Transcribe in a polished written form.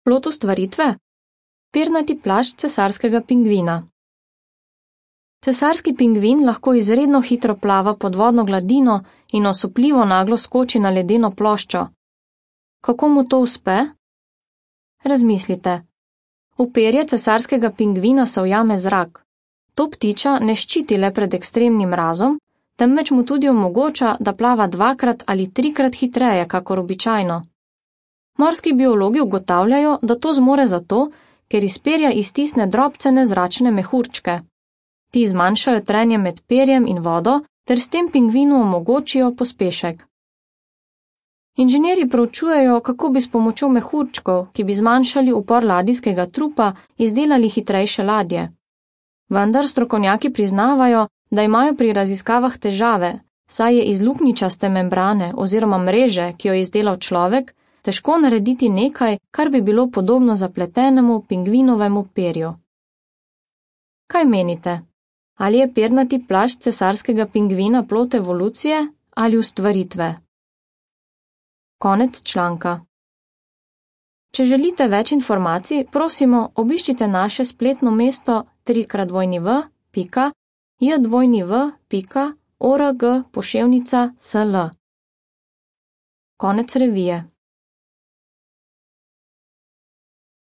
Plod ustvaritve? Pernati plašč cesarskega pingvina. Cesarski pingvin lahko izredno hitro plava pod vodno gladino in osupljivo naglo skoči na ledeno ploščo. Kako mu to uspe? Razmislite. V perje cesarskega pingvina se ujame zrak. To ptiča ne ščiti le pred ekstremnim mrazom, temveč mu tudi omogoča, da plava 2- ali 3- hitreje, kakor običajno. Morski biologi ugotavljajo, da to zmore zato, ker iz perja iztisne drobcene zračne mehurčke. Ti zmanjšajo trenje med perjem in vodo ter s tem pingvinu omogočijo pospešek. Inženirji proučujejo, kako bi s pomočjo mehurčkov, ki bi zmanjšali upor ladijskega trupa, izdelali hitrejše ladje. Vendar strokovnjaki priznavajo, da imajo pri raziskavah težave, saj je iz luknjičaste membrane oziroma mreže, ki jo je izdelal človek, težko narediti nekaj, kar bi bilo podobno zapletenemu pingvinovemu perju. Kaj menite? Ali je pernati plašč cesarskega pingvina plod evolucije ali ustvaritve? Konec članka. Če želite več informacij, prosimo, obiščite naše spletno mesto www.jdw.org/sl. Konec revije.